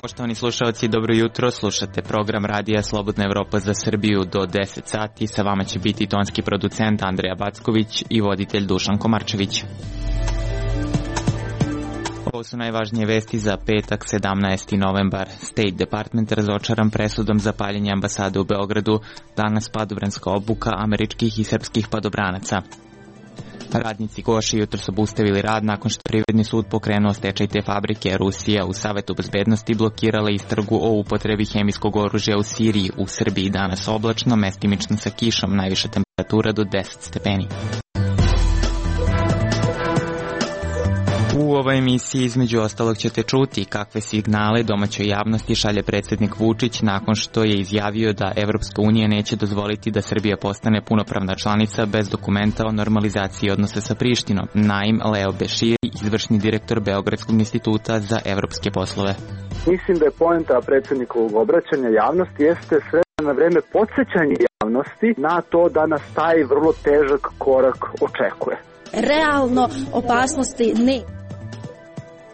Poštovani slušalci, dobro jutro, slušate program Radija Slobodna Evropa za Srbiju do 10 sati. Sa vama će biti tonski producent Andreja Backović i voditelj Dušan Komarčević. Ovo su najvažnije vesti za petak, 17. novembar. State Department razočaran presudom za paljenje ambasade u Beogradu, danas padobranska obuka američkih i srpskih padobranaca. Radnici Goši jutro su obustavili rad nakon što Privredni sud pokrenuo stečaj te fabrike. Rusija u Savetu bezbednosti blokirala istragu o upotrebi hemijskog oružja u Siriji. U Srbiji danas oblačno, mestimično sa kišom, najviša temperatura do 10 stepeni. U ovoj emisiji između ostalog ćete čuti kakve signale domaćoj javnosti šalje predsjednik Vučić nakon što je izjavio da Evropska unija neće dozvoliti da Srbija postane punopravna članica bez dokumenta o normalizaciji odnosa sa Prištinom. Naim Leo Beširi, izvršni direktor Beogradskog instituta za evropske poslove. Mislim da je poenta predsjednikovog obraćanja javnosti jeste sve na vreme podsjećanje javnosti na to da nas taj vrlo težak korak očekuje. Realno opasnosti ne.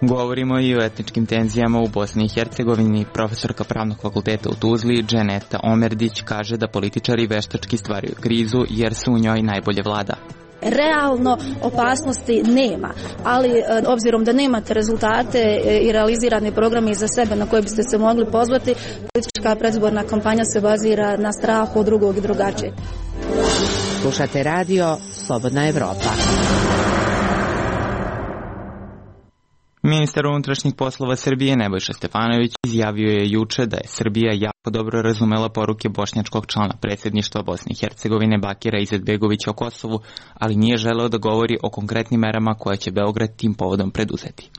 Govorimo i o etničkim tenzijama u Bosni i Hercegovini. Profesorka Pravnog fakulteta u Tuzli, Dženeta Omerdić, kaže da političari veštački stvaraju krizu jer se u njoj najbolje vlada. Realno opasnosti nema, ali obzirom da nemate rezultate i realizirane programe iza sebe na koje biste se mogli pozvati, politička predizborna kampanja se bazira na strahu od drugog i drugačijeg. Slušate radio Slobodna Evropa. Ministar unutrašnjih poslova Srbije Nebojša Stefanović izjavio je juče da je Srbija jako dobro razumela poruke bošnjačkog člana predsjedništva Bosne i Hercegovine Bakira Izetbegovića o Kosovu, ali nije želeo da govori o konkretnim merama koje će Beograd tim povodom preduzeti.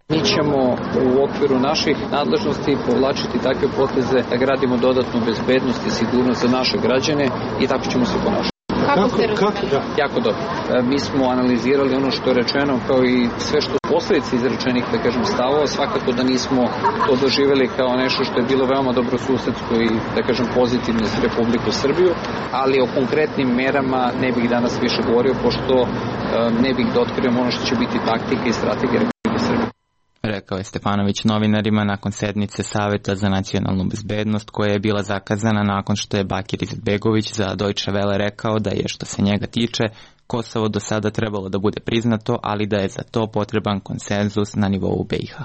Mi ćemo u okviru naših nadležnosti povlačiti takve poteze da gradimo dodatnu bezbednost i sigurnost za naše građane i tako ćemo se ponašati. Jako dobro. Mi smo analizirali ono što je rečeno kao i sve što je posljedice izrečenih, da kažem, stavova. Svakako da nismo to doživjeli kao nešto što je bilo veoma dobro susedsko i, da kažem, pozitivno za Republiku Srbiju, ali o konkretnim merama ne bih danas više govorio, pošto ne bih da otkrijem ono što će biti taktika i strategija Republike Srbije. Rekao je Stefanović novinarima nakon sednice Saveta za nacionalnu bezbednost koja je bila zakazana nakon što je Bakir Izetbegović za Deutsche Welle rekao da je, što se njega tiče, Kosovo do sada trebalo da bude priznato, ali da je za to potreban konsenzus na nivou BiH.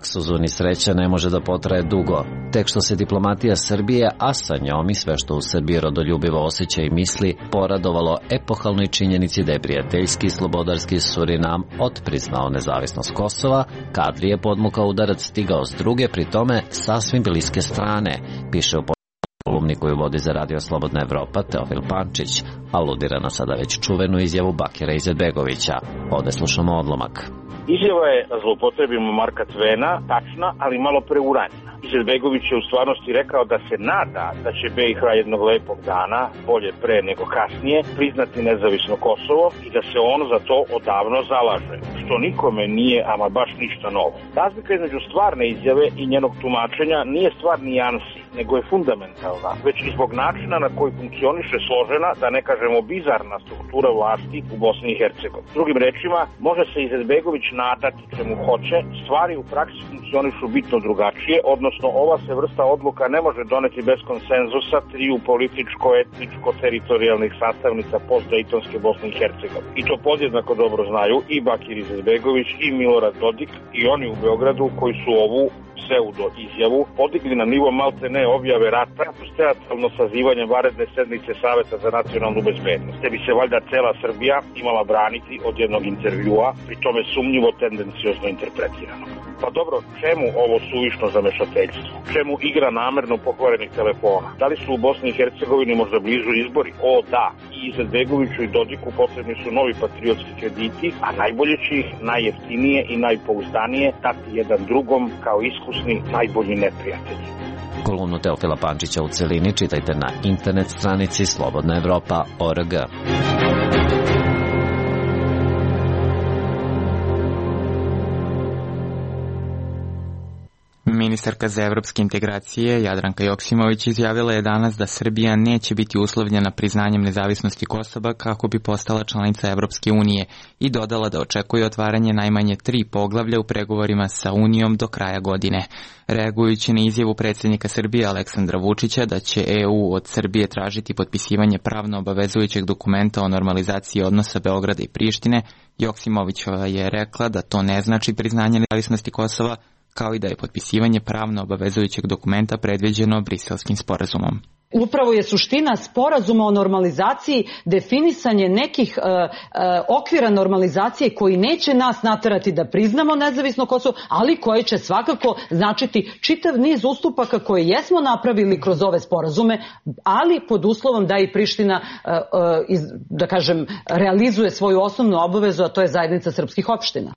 Luksuz ni sreća ne može da potraje dugo. Tek što se diplomatija Srbije, a sa njom i sve što u Srbiji rodoljubivo osjeća i misli, poradovalo epohalnoj činjenici da je prijateljski i slobodarski Surinam otpriznao nezavisnost Kosova, kadri je podmukao udarac stigao s druge, pri tome sasvim bliske strane, piše u kolumni koju vodi za Radio Slobodna Evropa Teofil Pančić, aludira na sada već čuvenu izjavu Bakira Izetbegovića. Ovde slušamo odlomak. Izjava je, zloupotrebimo Marka Tvena, tačna, ali malo preuranjena. Izetbegović je u stvarnosti rekao da se nada da će BiH jednog lepog dana, bolje pre nego kasnije, priznati nezavisno Kosovo i da se on za to odavno zalaže, što nikome nije ama baš ništa novo. Razlika između stvarne izjave i njenog tumačenja nije stvar nijansi, nego je fundamentalna, već i zbog načina na koji funkcioniše složena, da ne kažemo bizarna struktura vlasti u Bosni i Hercegovini. Drugim rečima, može se Izetbegović nadati čemu hoće, stvari u praksi funkcionišu bitno drugačije, odnosno ova se vrsta odluka ne može doneti bez konsenzusa triju političko-etničko-teritorijalnih sastavnica postdejtonske Bosne i Hercegovine. I to podjednako dobro znaju i Bakir Izetbegović i Milorad Dodik i oni u Beogradu koji su ovu pseudo izjavu podigli na nivo malte ne objave rata uz teatralno sazivanje vanredne sednice Saveta za nacionalnu bezbednost. Te bi se valjda cela Srbija imala braniti od jednog intervjua, pri tome sumnjivo tendenciozno interpretirano. Pa dobro, čemu ovo suvišno zamešateljstvo? Čemu igra namerno pokvarenih telefona? Da li su u Bosni i Hercegovini možda blizu izbori? O da, i Izetbegoviću i Dodiku potrebni su novi patriotski krediti, a najbolje će ih najjeftinije i najpouzdanije dati jedan drugom kao iskusni najbolji neprijatelji. Kolumnu Teofila Pančića u celini čitajte na internet stranici slobodnaevropa.org. ministarka za evropske integracije Jadranka Joksimović izjavila je danas da Srbija neće biti uslovljena priznanjem nezavisnosti Kosova kako bi postala članica Evropske unije i dodala da očekuje otvaranje najmanje 3 poglavlja u pregovorima sa Unijom do kraja godine. Reagujući na izjavu predsjednika Srbije Aleksandra Vučića da će EU od Srbije tražiti potpisivanje pravno obavezujućeg dokumenta o normalizaciji odnosa Beograda i Prištine, Joksimovićova je rekla da to ne znači priznanje nezavisnosti Kosova, kao i da je potpisivanje pravno obavezujućeg dokumenta predviđeno Briselskim sporazumom. Upravo je suština sporazuma o normalizaciji definisanje nekih okvira normalizacije koji neće nas naterati da priznamo nezavisno Kosovo, ali koje će svakako značiti čitav niz ustupaka koje jesmo napravili kroz ove sporazume, ali pod uslovom da i Priština, da kažem, realizuje svoju osnovnu obavezu, a to je zajednica srpskih opština.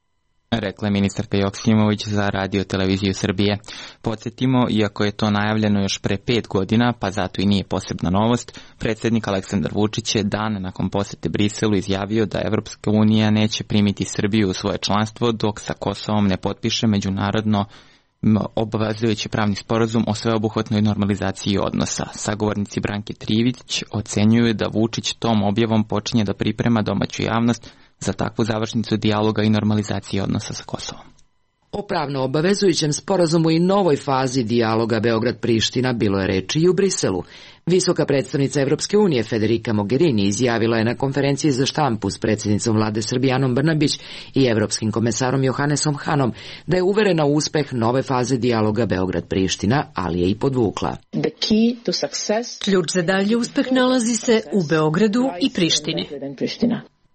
Rekla je ministarka Joksimović za Radio televiziju Srbije. Podsjetimo, iako je to najavljeno još pre 5 godina, pa zato i nije posebna novost, predsjednik Aleksandar Vučić je dan nakon posete Briselu izjavio da Evropska unija neće primiti Srbiju u svoje članstvo dok sa Kosovom ne potpiše međunarodno obavezujući pravni sporazum o sveobuhvatnoj normalizaciji odnosa. Sagovornici Branke Trivić ocenjuju da Vučić tom objavom počinje da priprema domaću javnost za takvu završnicu dijaloga i normalizacije odnosa sa Kosovom. O pravno obavezujućem sporazumu i novoj fazi dijaloga Beograd-Priština bilo je reči i u Briselu. Visoka predstavnica Evropske unije Federica Mogherini izjavila je na konferenciji za štampu s predsjednicom vlade Srbije Anom Brnabić i evropskim komesarom Johannesom Hanom da je uverena u uspeh nove faze dijaloga Beograd-Priština, ali je i podvukla. Ključ za dalji uspeh nalazi se u Beogradu i Prištini.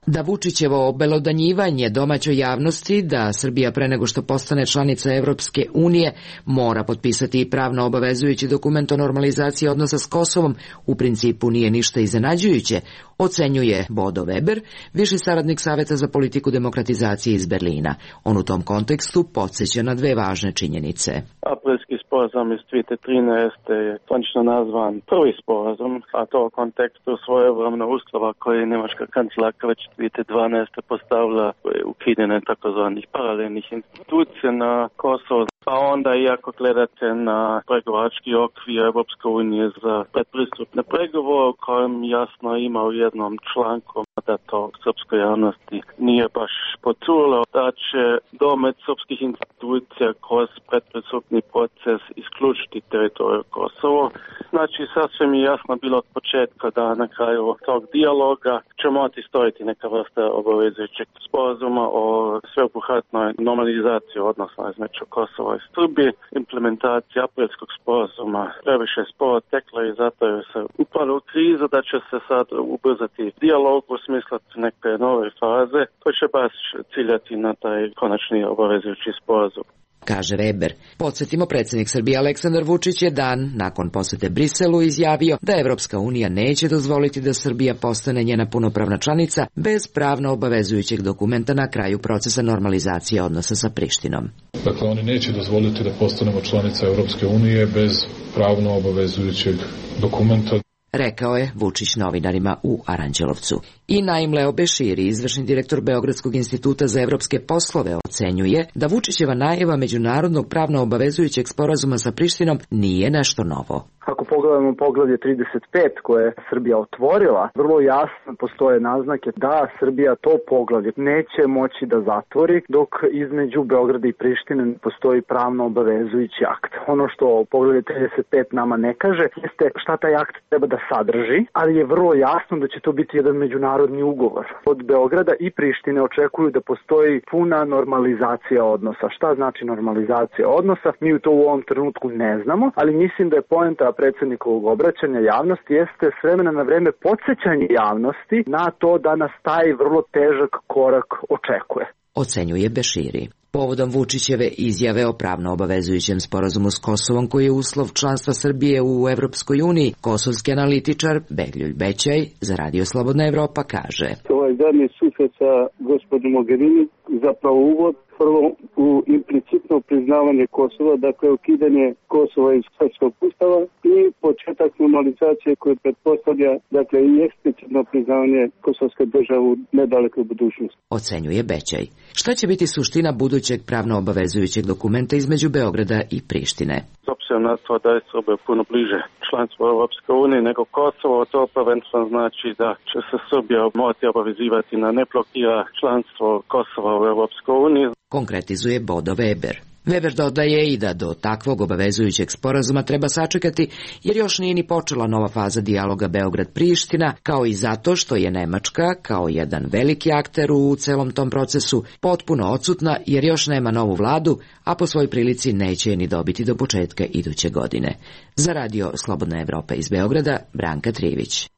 Da Vučićevo obelodanjivanje domaćoj javnosti da Srbija pre nego što postane članica Evropske unije mora potpisati i pravno obavezujući dokument o normalizaciji odnosa s Kosovom u principu nije ništa iznenađujuće, ocenjuje Bodo Weber, viši saradnik Saveta za politiku demokratizacije iz Berlina. On u tom kontekstu podsjeća na 2 važne činjenice. Aprilski sporazum iz 2013. je zvanično nazvan prvi sporazum, a to u kontekstu svojevremena uslova koje je njemačka kancelarka već 2012. postavila ukidanje takozvanih paralelnih institucija na Kosovo. A onda i ako gledate na pregovarački okvir Evropske unije za predpristupne pregovore, u kojem jasno ima u jednom članku da to srpskoj javnosti nije baš poculo, da će domet srpskih institucija kroz predpristupni proces isključiti teritoriju Kosovo. Znači, sasvim je jasno bilo od početka da na kraju tog dijaloga će morati stojiti neka vrsta obavezujućeg sporazuma o sveobuhvatnoj normalizaciji odnosa između Kosova i Srbije. Implementacija aprilskog sporazuma previše sporo tekla i zato je se upalo u krizu da će se sad ubrzati dijalog u smislu neke nove faze koji će baš ciljati na taj konačni obavezujući sporazum. Kaže Weber. Podsjetimo, predsjednik Srbije Aleksandar Vučić je dan nakon posete Briselu izjavio da Evropska unija neće dozvoliti da Srbija postane njena punopravna članica bez pravno obavezujućeg dokumenta na kraju procesa normalizacije odnosa sa Prištinom. Dakle, oni neće dozvoliti da postanemo članica Evropske unije bez pravno obavezujućeg dokumenta. Rekao je Vučić novinarima u Aranđelovcu. I Naim Leo Beširi, izvršni direktor Beogradskog instituta za evropske poslove, ocenjuje da Vučićeva najava međunarodnog pravno obavezujućeg sporazuma sa Prištinom nije nešto novo. Ako pogledamo poglavlje 35 koje je Srbija otvorila, vrlo jasno postoje naznake da Srbija to poglavlje neće moći da zatvori dok između Beograda i Prištine postoji pravno obavezujući akt. Ono što poglavlje 35 nama ne kaže jeste šta taj akt treba da sadrži, ali je vrlo jasno da će to biti jedan međunarodni ugovor. Od Beograda i Prištine očekuju da postoji puna normalizacija odnosa. Šta znači normalizacija odnosa? Mi to u ovom trenutku ne znamo, ali mislim da je poenta predsjednikovog obraćanja javnosti jeste s vremena na vreme podsjećanje javnosti na to da nas taj vrlo težak korak očekuje. Ocenjuje Beširi. Povodom Vučićeve izjave o pravno obavezujućem sporazumu s Kosovom koji je uslov članstva Srbije u Evropskoj uniji, kosovski analitičar Beljulj Bećaj za Radio Slobodna Evropa kaže: Ovaj zadnji susret sa gospođom Mogherini zapravo uvod prvo u implicitno priznavanje Kosova, dakle ukidanje Kosova iz srpskog ustava i početak normalizacije koje pretpostavlja, dakle, i eksplicitno priznavanje kosovske države u nedalekoj budućnosti. Ocenjuje Bećaj. Šta će biti suština budućeg pravno obavezujućeg dokumenta između Beograda i Prištine? S obzirom na to da je Srbija puno bliže članstvo Europske unije nego Kosovo, to prvenstveno znači da će se Srbija morati obavezivati na ne blokira članstvo Kosova u Europskoj uniji. Konkretizuje Bodo Weber. Weber dodaje i da do takvog obavezujućeg sporazuma treba sačekati, jer još nije ni počela nova faza dijaloga Beograd-Priština, kao i zato što je Nemačka, kao jedan veliki akter u celom tom procesu, potpuno odsutna jer još nema novu vladu, a po svoj prilici neće je ni dobiti do početka iduće godine. Za radio Slobodna Evropa iz Beograda, Branka Trivić.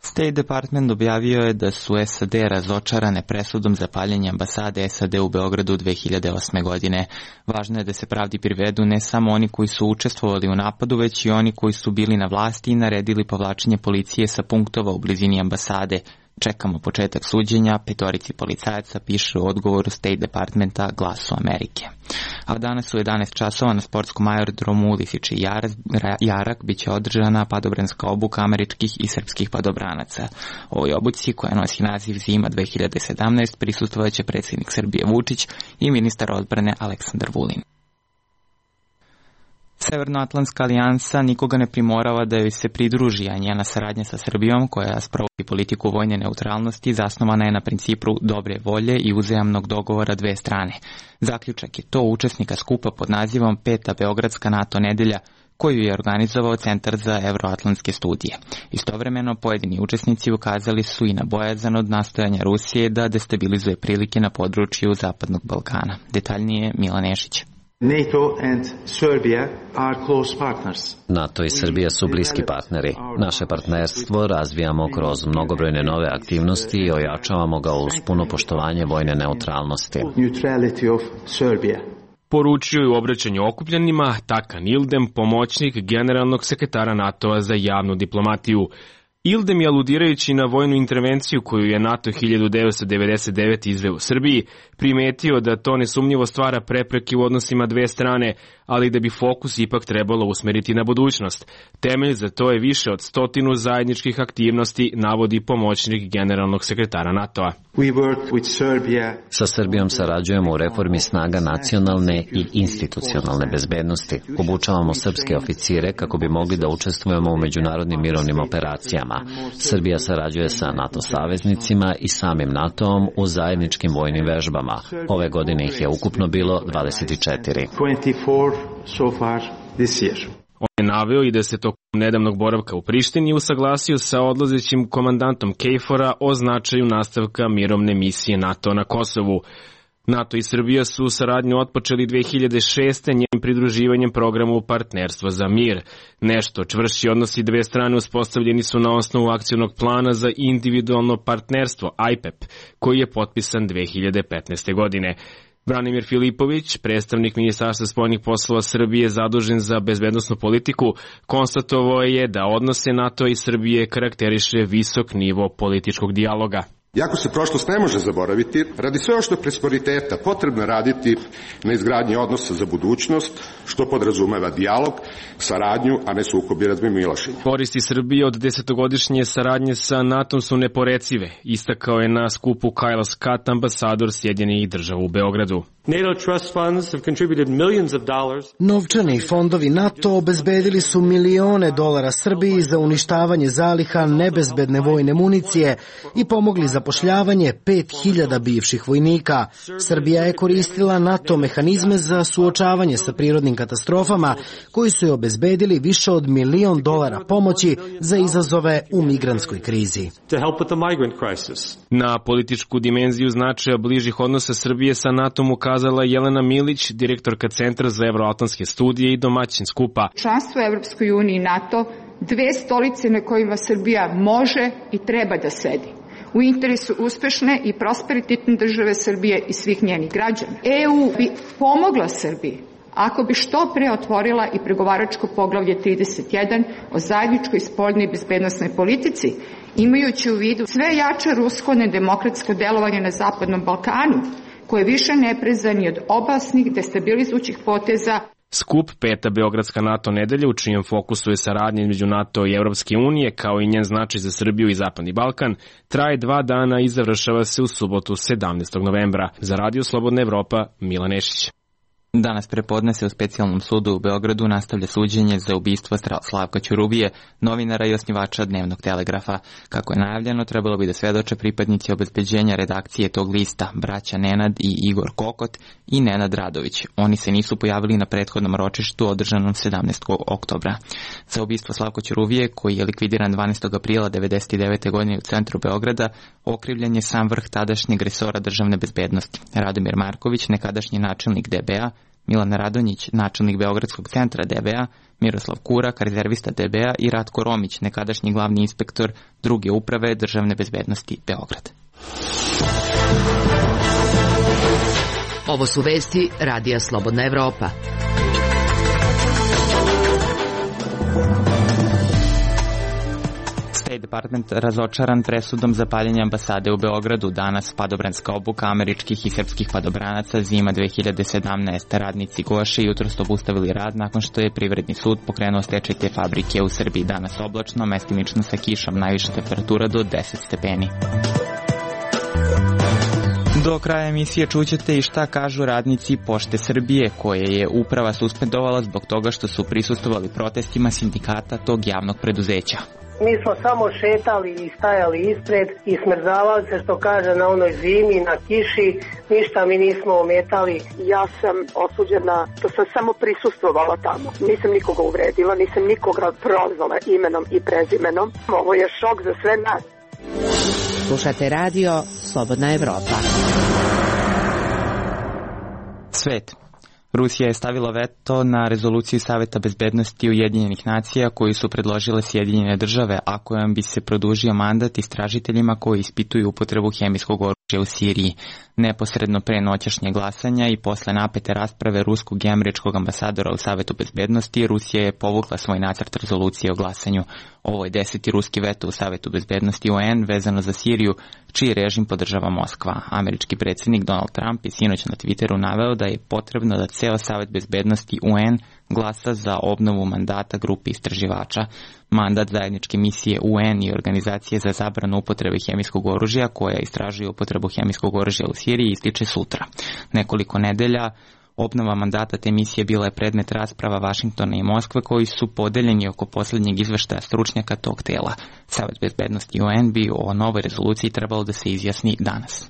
State Department objavio je da su SAD razočarane presudom za paljenje ambasade SAD u Beogradu 2008. godine. Važno je da se pravdi privedu ne samo oni koji su učestvovali u napadu, već i oni koji su bili na vlasti i naredili povlačenje policije sa punktova u blizini ambasade. Čekamo početak suđenja, 5 policajaca piše u odgovoru State Departmenta Glasu Amerike. A danas u 11 časova na sportskom aerodromu Lisiče Jarak biće održana padobranska obuka američkih i srpskih padobranaca. Ovoj obuci, koja nosi naziv Zima 2017, prisustvovaće predsjednik Srbije Vučić i ministar odbrane Aleksandar Vulin. Severnoatlantska alijansa nikoga ne primorava da joj se pridruži, a njena saradnja sa Srbijom, koja sprovodi politiku vojne neutralnosti, zasnovana je na principu dobre volje i uzajamnog dogovora dve strane. Zaključak je to učesnika skupa pod nazivom 5. Beogradska NATO nedelja, koju je organizovao Centar za evroatlantske studije. Istovremeno, pojedini učesnici ukazali su i na bojazan od nastojanja Rusije da destabilizuje prilike na području Zapadnog Balkana. Detaljnije Milan Nešić. NATO and Serbia are close partners. NATO i Srbija su bliski partneri. Naše partnerstvo razvijamo kroz mnogobrojne nove aktivnosti i ojačavamo ga uz puno poštovanje vojne neutralnosti. Neutrality of Serbia. Poručio je u obraćanju okupljenima Takan Ildem, pomoćnik generalnog sekretara NATO-a za javnu diplomatiju. Ildem je, aludirajući na vojnu intervenciju koju je NATO 1999 izveo u Srbiji, primetio da to nesumnjivo stvara prepreke u odnosima dve strane, ali da bi fokus ipak trebalo usmeriti na budućnost. Temelj za to je više od 100 zajedničkih aktivnosti, navodi pomoćnik generalnog sekretara NATO-a. Sa Srbijom sarađujemo u reformi snaga nacionalne i institucionalne bezbednosti. Obučavamo srpske oficire kako bi mogli da učestvujemo u međunarodnim mirovnim operacijama. Srbija sarađuje sa NATO saveznicima i samim NATO-om u zajedničkim vojnim vežbama. Ove godine ih je ukupno bilo 24. On je naveo i da se tokom nedavnog boravka u Prištini usaglasio sa odlazećim komandantom KFOR-a o značaju nastavka mirovne misije NATO na Kosovu. NATO i Srbija su saradnju otpočeli 2006. njenim pridruživanjem programu Partnerstva za mir. Nešto čvršći odnosi dve strane uspostavljeni su na osnovu akcionog plana za individualno partnerstvo IPEP, koji je potpisan 2015. godine. Branimir Filipović, predstavnik Ministarstva spoljnih poslova Srbije zadužen za bezbednosnu politiku, konstatovao je da odnose NATO i Srbije karakteriše visok nivo političkog dijaloga. Iako se prošlost ne može zaboraviti, radi sve što je prosperiteta potrebno raditi na izgradnji odnosa za budućnost, što podrazumeva dijalog, saradnju, a ne sukob i razmimoilaženje. Koristi Srbije od 10-godišnje saradnje sa NATO su neporecive, istakao je na skupu Kyle Scott, ambasador Sjedinjenih Država u Beogradu. Novčani fondovi NATO obezbedili su milione dolara Srbiji za uništavanje zaliha nebezbedne vojne municije i pomogli zapošljavanje 5000 bivših vojnika. Srbija je koristila NATO mehanizme za suočavanje sa prirodnim katastrofama koji su je obezbedili više od $1 milion pomoći za izazove u migrantskoj krizi. Na političku dimenziju značaja bližih odnosa Srbije sa NATO-om ukazala Jelena Milić, direktorka Centra za evroatlantske studije i domaćin skupa. Članstvo u Evropskoj uniji i NATO, dve stolice na kojima Srbija može i treba da sedi. U interesu uspešne i prosperitetne države Srbije i svih njenih građana. EU bi pomogla Srbiji ako bi što pre otvorila i pregovaračko poglavlje 31 o zajedničkoj spoljnoj i bezbednosnoj politici Imajući u vidu sve jače rusko nedemokratsko delovanje na Zapadnom Balkanu, koje više ne preza ni od opasnih destabilizujućih poteza. Skup Peta Beogradska NATO nedelja, u čijem fokusu je saradnja između NATO i Evropske unije, kao i njen značaj za Srbiju i Zapadni Balkan, traje 2 dana i završava se u subotu 17. novembra. Za Radio Slobodna Evropa, Milan Nešić. Danas prepodne se u specijalnom sudu u Beogradu nastavlja suđenje za ubistvo Slavka Ćuruvije, novinara i osnivača Dnevnog telegrafa. Kako je najavljeno, trebalo bi da svedoče pripadnici obezbeđenja redakcije tog lista, braća Nenad i Igor Kokot i Nenad Radović. Oni se nisu pojavili na prethodnom ročištu održanom 17. oktobra. Za ubistvo Slavka Ćuruvije, koji je likvidiran 12. aprila 1999. godine u centru Beograda, okrivljen je sam vrh tadašnjeg resora državne bezbednosti. Radomir Marković, nekadašnji načelnik DB-a, Milan Radonjić, načelnik Beogradskog centra DB-a, Miroslav Kurak, rezervista DB-a i Ratko Romić, nekadašnji glavni inspektor druge uprave državne bezbednosti Beograd. Ovo su vesti Radija Slobodna Evropa. State Department razočaran presudom za paljenje ambasade u Beogradu. Danas padobranska obuka američkih i srpskih padobranaca zima 2017. Radnici Goše jutros obustavili rad nakon što je Privredni sud pokrenuo stečaj te fabrike u Srbiji. Danas oblačno, mestimično sa kišom, najviša temperatura do 10 stepeni. Do kraja emisije čućete i šta kažu radnici Pošte Srbije, koje je uprava suspendovala zbog toga što su prisustvovali protestima sindikata tog javnog preduzeća. Mi smo samo šetali i stajali ispred i smrzavali se, što kaže, na onoj zimi, na kiši, ništa mi nismo ometali. Ja sam osuđena što sam samo prisustvovala tamo. Nisam nikoga uvredila, nisam nikoga prozvala imenom i prezimenom. Ovo je šok za sve nas. Slušate radio Slobodna Evropa. Svet. Rusija je stavila veto na rezoluciju Saveta bezbednosti Ujedinjenih nacija koju su predložile Sjedinjene države, a kojom bi se produžio mandat istražiteljima koji ispituju upotrebu hemijskog oružja u Siriji. Neposredno pre noćašnje glasanja i posle napete rasprave ruskog i američkog ambasadora u Savetu bezbednosti, Rusija je povukla svoj nacrt rezolucije o glasanju. Ovo je 10. ruski veto u Savetu bezbednosti UN vezano za Siriju, čiji režim podržava Moskva. Američki predsjednik Donald Trump je sinoć na Twitteru naveo da je potrebno da ceo Savet bezbednosti UN glasa za obnovu mandata grupi istraživača. Mandat zajedničke misije UN i Organizacije za zabranu upotrebe hemijskog oružja, koja istražuje upotrebu hemijskog oružja u Siriji, ističe sutra. Nekoliko nedelja obnova mandata te misije bila je predmet rasprava Vašingtona i Moskve, koji su podeljeni oko posljednjeg izveštaja stručnjaka tog tela. Savet bezbednosti UN bi o novoj rezoluciji trebalo da se izjasni danas.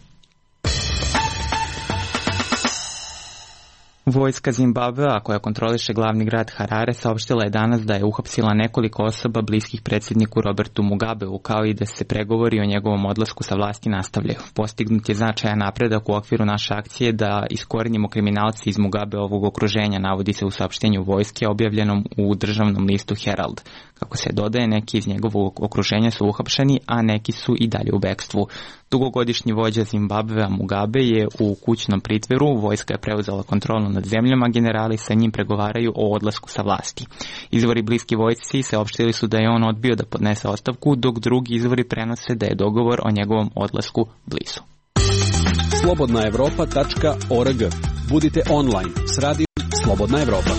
Vojska Zimbabvea, koja kontroliše glavni grad Harare, saopštila je danas da je uhapsila nekoliko osoba bliskih predsjedniku Robertu Mugabeu, kao i da se pregovori o njegovom odlasku sa vlasti nastavljaju. Postignut je značajan napredak u okviru naše akcije da iskorenimo kriminalci iz Mugabeovog okruženja, navodi se u saopštenju vojske objavljenom u državnom listu Herald. Kako se dodaje, neki iz njegovog okruženja su uhapšeni, a neki su i dalje u bekstvu. Dugogodišnji vođa Zimbabvea Mugabe je u kućnom pritvoru, vojska je preuzela kontrolu nad zemljom, a generali sa njim pregovaraju o odlasku sa vlasti. Izvori bliski vojsci saopštili su da je on odbio da podnese ostavku, dok drugi izvori prenose da je dogovor o njegovom odlasku blizu. slobodnaevropa.org. Budite online s radijom Slobodna Evropa.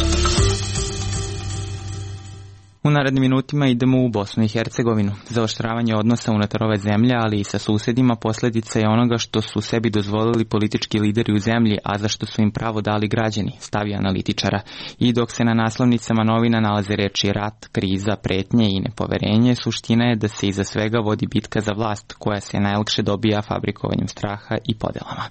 U narednim minutima idemo u Bosnu i Hercegovinu. Zaoštravanje odnosa unutar ove zemlje, ali i sa susedima, posljedica je onoga što su sebi dozvolili politički lideri u zemlji, a za što su im pravo dali građani, stavi analitičara. I dok se na naslovnicama novina nalaze reči rat, kriza, pretnje i nepoverenje, suština je da se iza svega vodi bitka za vlast, koja se najlakše dobija fabrikovanjem straha i podelama.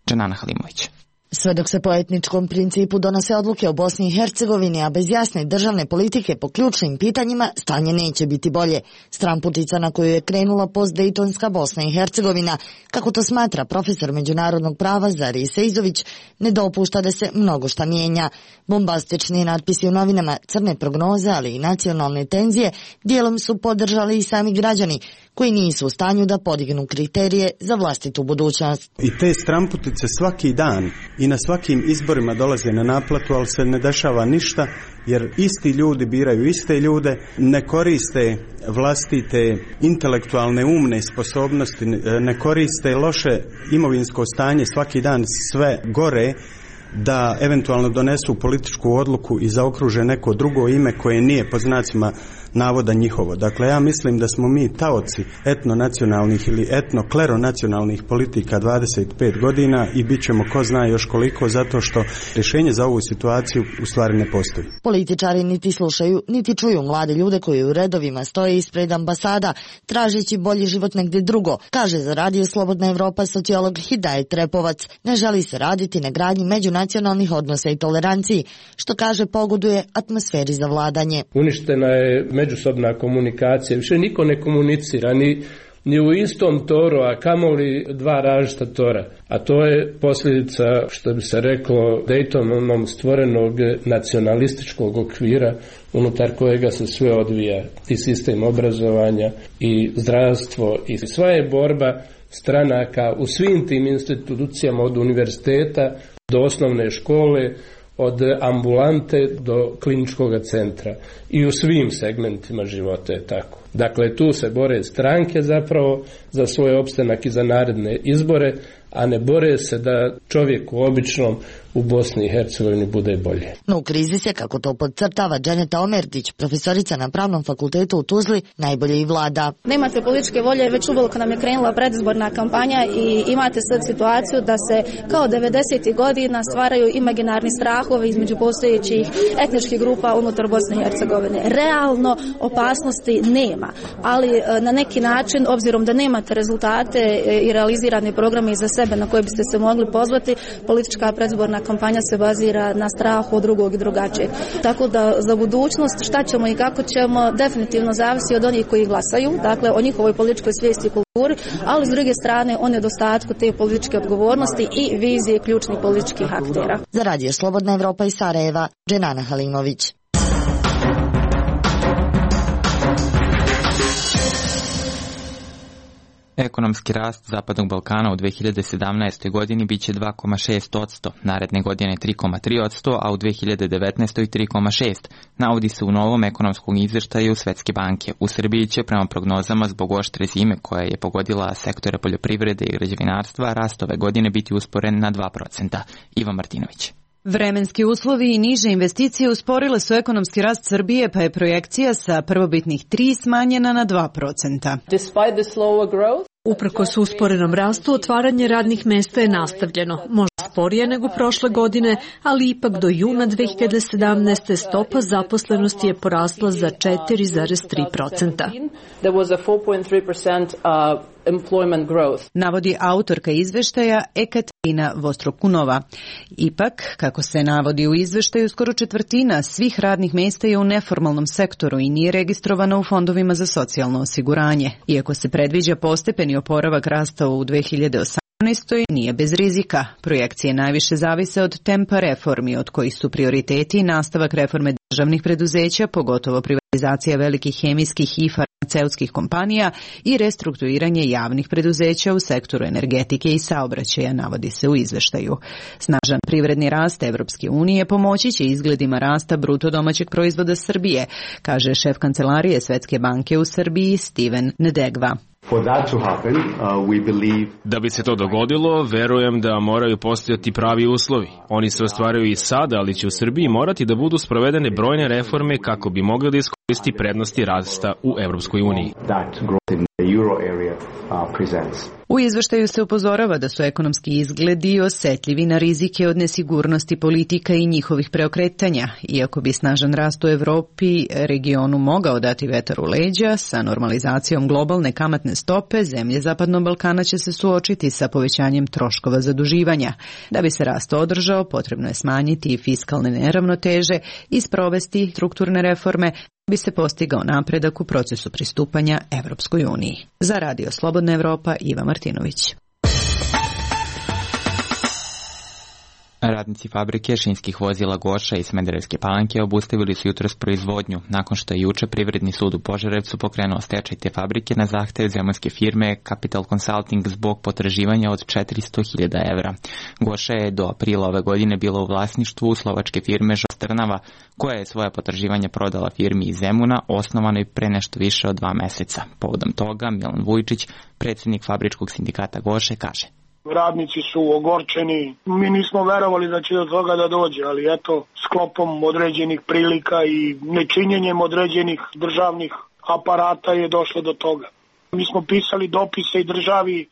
Džanana Halimović. Sve dok se po etničkom principu donose odluke o Bosni i Hercegovini, a bez jasne državne politike po ključnim pitanjima, stanje neće biti bolje. Stramputica na koju je krenula postdejtonska Bosna i Hercegovina, kako to smatra profesor međunarodnog prava Zari Sejzović, ne dopušta da se mnogo šta mijenja. Bombastični natpisi u novinama, crne prognoze, ali i nacionalne tenzije dijelom su podržali i sami građani, koji nisu u stanju da podignu kriterije za vlastitu budućnost. I te stramputice svaki dan i na svakim izborima dolaze na naplatu, ali se ne dešava ništa jer isti ljudi biraju iste ljude, ne koriste vlastite intelektualne umne sposobnosti, ne koriste loše imovinsko stanje, svaki dan sve gore, da eventualno donesu političku odluku i zaokruže neko drugo ime koje nije po znacima navoda njihovo. Dakle, ja mislim da smo mi taoci etnonacionalnih ili etnokleronacionalnih politika 25 godina i bit ćemo ko zna još koliko, zato što rješenje za ovu situaciju u stvari ne postoji. Političari niti slušaju, niti čuju mlade ljude koji u redovima stoje ispred ambasada, tražeći bolji život negdje drugo, kaže za Radio Slobodna Evropa sociolog Hidajet Repovac. Ne želi se raditi na gradnji međunacionalnih odnosa i toleranciji, što kaže pogoduje atmosferi za vladanje. Uništena je međusobna komunikacija, više niko ne komunicira, ni u istom toru, a kamoli dva različita tora. A to je posljedica, što bi se reklo, Daytonom stvorenog nacionalističkog okvira unutar kojega se sve odvija, i sistem obrazovanja, i zdravstvo, i sva je borba stranaka u svim tim institucijama, od univerziteta do osnovne škole, od ambulante do kliničkog centra, i u svim segmentima života je tako. Dakle, tu se bore stranke zapravo za svoj opstanak i za naredne izbore, a ne bore se da čovjeku običnom u Bosni i Hercegovini bude bolje. No u krizi se, kako to podcrtava Dženeta Omerdić, profesorica na Pravnom fakultetu u Tuzli, najbolje i vlada. Nemate političke volje, već uveliko nam je krenula predizborna kampanja i imate sad situaciju da se kao 90. godina stvaraju imaginarni strahovi između postojećih etničkih grupa unutar Bosne i Hercegovine. Realno opasnosti nema, ali na neki način, obzirom da nemate rezultate i realizirane programe za sebe na koje biste se mogli pozvati, politička predizborna kampanja se bazira na strahu od drugog i drugačijeg. Tako da za budućnost šta ćemo i kako ćemo definitivno zavisi od onih koji glasaju, dakle o njihovoj političkoj svijesti i kulturi, ali s druge strane o nedostatku te političke odgovornosti i vizije ključnih političkih aktera. Za Radio Slobodna Evropa iz Sarajeva, Dženana Halimović. Ekonomski rast Zapadnog Balkana u 2017. godini biće 2,6%, naredne godine 3,3%, a u 2019. 3,6%, navodi se u novom ekonomskom izveštaju Svetske banke. U Srbiji će, prema prognozama, zbog oštre zime koja je pogodila sektore poljoprivrede i građevinarstva, rast ove godine biti usporen na 2%. Ivan Martinović. Vremenski uslovi i niže investicije usporile su ekonomski rast Srbije, pa je projekcija sa prvobitnih 3 smanjena na 2%. Uprkos usporenom rastu, otvaranje radnih mesta je nastavljeno. Možda sporije nego prošle godine, ali ipak do juna 2017. stopa zaposlenosti je porasla za 4,3%. Navodi autorka izveštaja Ekaterina Vostrokunova. Ipak, kako se navodi u izveštaju, skoro četvrtina svih radnih mesta je u neformalnom sektoru i nije registrovana u fondovima za socijalno osiguranje. Iako se predviđa postepeni oporavak rasta u 2018. nije bez rizika. Projekcije najviše zavise od tempa reformi, od kojih su prioriteti nastavak reforme državnih preduzeća, pogotovo privatizacija velikih hemijskih i farmaceutskih kompanija i restrukturiranje javnih preduzeća u sektoru energetike i saobraćaja, navodi se u izveštaju. Snažan privredni rast Evropske unije pomoći će izgledima rasta bruto domaćeg proizvoda Srbije, kaže šef kancelarije Svetske banke u Srbiji Steven Nedegva. Da bi se to dogodilo, verujem da moraju postojati pravi uslovi. Oni se ostvaraju i sada, ali će u Srbiji morati da budu sprovedene brojne reforme kako bi mogli da iskoristi prednosti rasta u Evropskoj uniji. U izveštaju se upozorava da su ekonomski izgledi osetljivi na rizike od nesigurnosti politika i njihovih preokretanja. Iako bi snažan rast u Evropi regionu mogao dati vetar u leđa, sa normalizacijom globalne kamatne stope, zemlje Zapadnog Balkana će se suočiti sa povećanjem troškova zaduživanja. Da bi se rast održao, potrebno je smanjiti fiskalne neravnoteže i sprovesti strukturne reforme, bi se postigao napredak u procesu pristupanja Evropskoj uniji. Za Radio Slobodna Evropa, Iva Martinović. Radnici fabrike šinskih vozila Goša iz Smederevske Palanke obustavili su jutros proizvodnju, nakon što je juče Privredni sud u Požarevcu pokrenuo stečaj te fabrike na zahtev zemunske firme Capital Consulting zbog potraživanja od 400.000 evra. Goša je do aprila ove godine bila u vlasništvu slovačke firme Žostrnava, koja je svoja potraživanja prodala firmi iz Zemuna, osnovanoj pre nešto više od 2 meseca. Povodom toga Milan Vujčić, predsjednik fabričkog sindikata Goše, kaže: Radnici su ogorčeni, mi nismo verovali da će do toga da dođe, ali eto, sklopom određenih prilika i nečinjenjem određenih državnih aparata je došlo do toga. Mi smo pisali dopise i državi,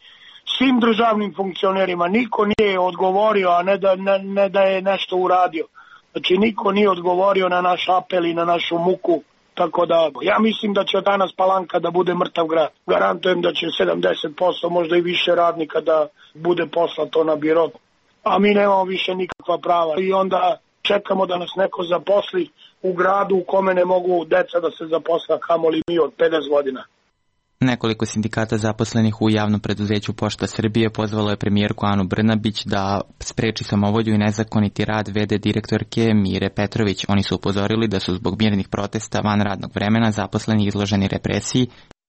svim državnim funkcionerima, niko nije odgovorio, a ne da je nešto uradio. Znači niko nije odgovorio na naš apel i na našu muku. Tako da, ja mislim da će od danas Palanka da bude mrtav grad. Garantujem da će 70%, možda i više radnika da bude poslato na biro. A mi nemamo više nikakva prava. I onda čekamo da nas neko zaposli u gradu u kome ne mogu deca da se zaposla, kamoli mi od 50 godina. Nekoliko sindikata zaposlenih u javnom preduzeću Pošta Srbije pozvalo je premijerku Anu Brnabić da spreči samovolju i nezakoniti rad v.d. direktorke Mire Petrović. Oni su upozorili da su zbog mirnih protesta van radnog vremena zaposleni izloženi represiji,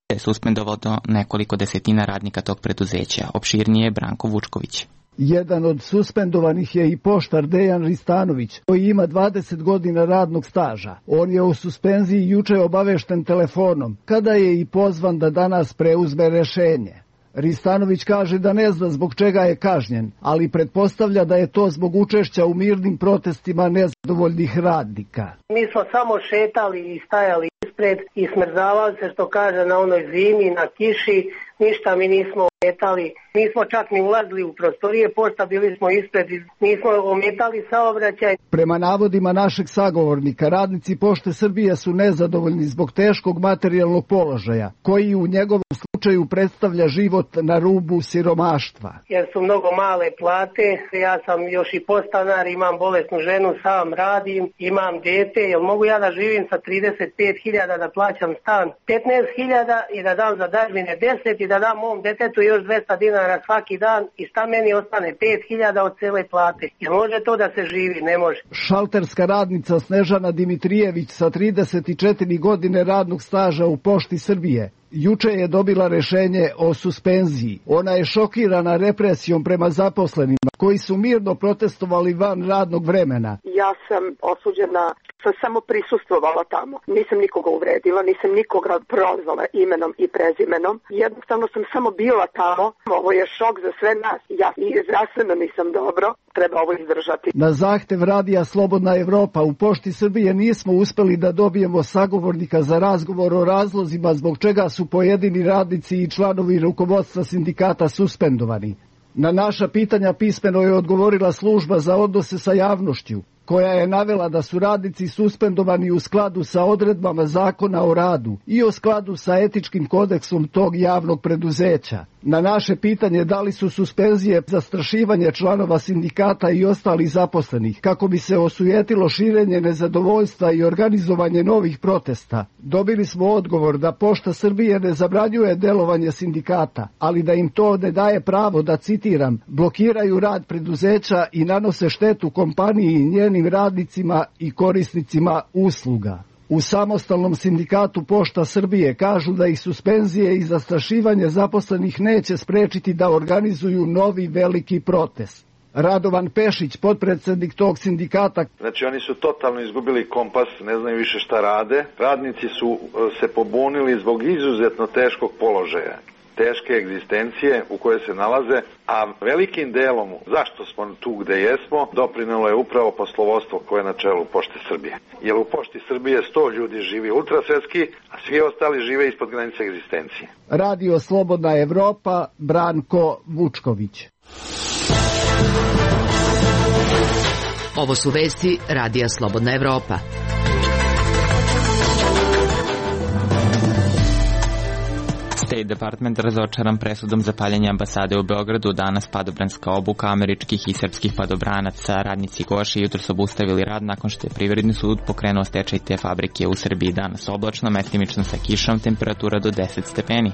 te je suspendovalo nekoliko desetina radnika tog preduzeća. Opširnije Branko Vučković. Jedan od suspendovanih je i poštar Dejan Ristanović, koji ima 20 godina radnog staža. On je u suspenziji juče obavešten telefonom, kada je i pozvan da danas preuzme rešenje. Ristanović kaže da ne zna zbog čega je kažnjen, ali pretpostavlja da je to zbog učešća u mirnim protestima nezadovoljnih radnika. Mi smo samo šetali i stajali ispred i smrzavali se, što kaže, na onoj zimi, na kiši, ništa mi nismo ometali. Nismo čak ni ulazili u prostorije pošta, bili smo ispred i nismo ometali saobraćaj. Prema navodima našeg sagovornika, radnici Pošte Srbije su nezadovoljni zbog teškog materijalnog položaja, koji u njegovom slučaju predstavlja život na rubu siromaštva. Jer su mnogo male plate, ja sam još i podstanar, imam bolesnu ženu, sam radim, imam dete, jel mogu ja da živim sa 35.000 da plaćam stan 15.000 i da dam za dažbine 10 i da dam mom detetu još 200 dinara svaki dan i šta meni ostane 5.000 od cele plate. Jel može to da se živi? Ne može. Šalterska radnica Snežana Dimitrijević sa 34 godine radnog staža u Pošti Srbije juče je dobila rešenje o suspenziji. Ona je šokirana represijom prema zaposlenima koji su mirno protestovali van radnog vremena. Ja sam osuđena, sam samo prisustvovala tamo. Nisam nikoga uvredila, nisam nikoga prozvala imenom i prezimenom. Jednostavno sam samo bila tamo. Ovo je šok za sve nas. Ja i zdravstveno nisam dobro, treba ovo izdržati. Na zahtev radija Slobodna Evropa u Pošti Srbije nismo uspeli da dobijemo sagovornika za razgovor o razlozima zbog čega su pojedini radnici i članovi rukovodstva sindikata suspendovani. Na naša pitanja pismeno je odgovorila služba za odnose sa javnošću, koja je navela da su radnici suspendovani u skladu sa odredbama Zakona o radu i u skladu sa etičkim kodeksom tog javnog preduzeća. Na naše pitanje da li su suspenzije zastrašivanje članova sindikata i ostalih zaposlenih kako bi se osujetilo širenje nezadovoljstva i organizovanje novih protesta, dobili smo odgovor da Pošta Srbije ne zabranjuje delovanje sindikata, ali da im to ne daje pravo da, citiram, blokiraju rad preduzeća i nanose štetu kompaniji i njenim radnicima i korisnicima usluga. U samostalnom sindikatu Pošta Srbije kažu da ih suspenzije i zastrašivanje zaposlenih neće sprečiti da organizuju novi veliki protest. Radovan Pešić, potpredsednik tog sindikata. Znači oni su totalno izgubili kompas, ne znaju više šta rade. Radnici su se pobunili zbog izuzetno teškog položaja, teške egzistencije u kojoj se nalaze, a velikim delom zašto smo tu gde jesmo doprinelo je upravo poslovodstvo koje je na čelu Pošte Srbije. Jer u Pošti Srbije 100 ljudi živi ultrasvetski, a svi ostali žive ispod granice egzistencije. Radio Slobodna Evropa, Branko Vučković. Ovo su vesti Radija Slobodna Evropa. State Department razočaran presudom za paljenje ambasade u Beogradu. Danas padobranska obuka američkih i srpskih padobranaca. Radnici Goše jutros obustavili rad nakon što je Privredni sud pokrenuo stečaj te fabrike. U Srbiji danas oblačno, metimično sa kišom, temperatura do 10 stepeni.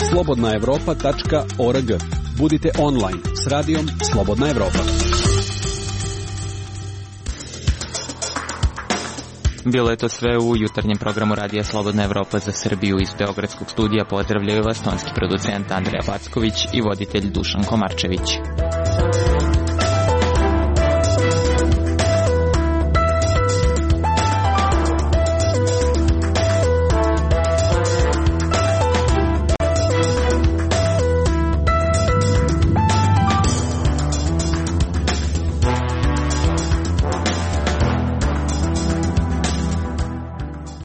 Slobodnaevropa.org. Budite online s radijom Slobodna Evropa. Bilo je to sve u jutarnjem programu Radija Slobodna Evropa za Srbiju. Iz Beogradskog studija pozdravljaju vas tonski producent Andreja Packović i voditelj Dušan Komarčević.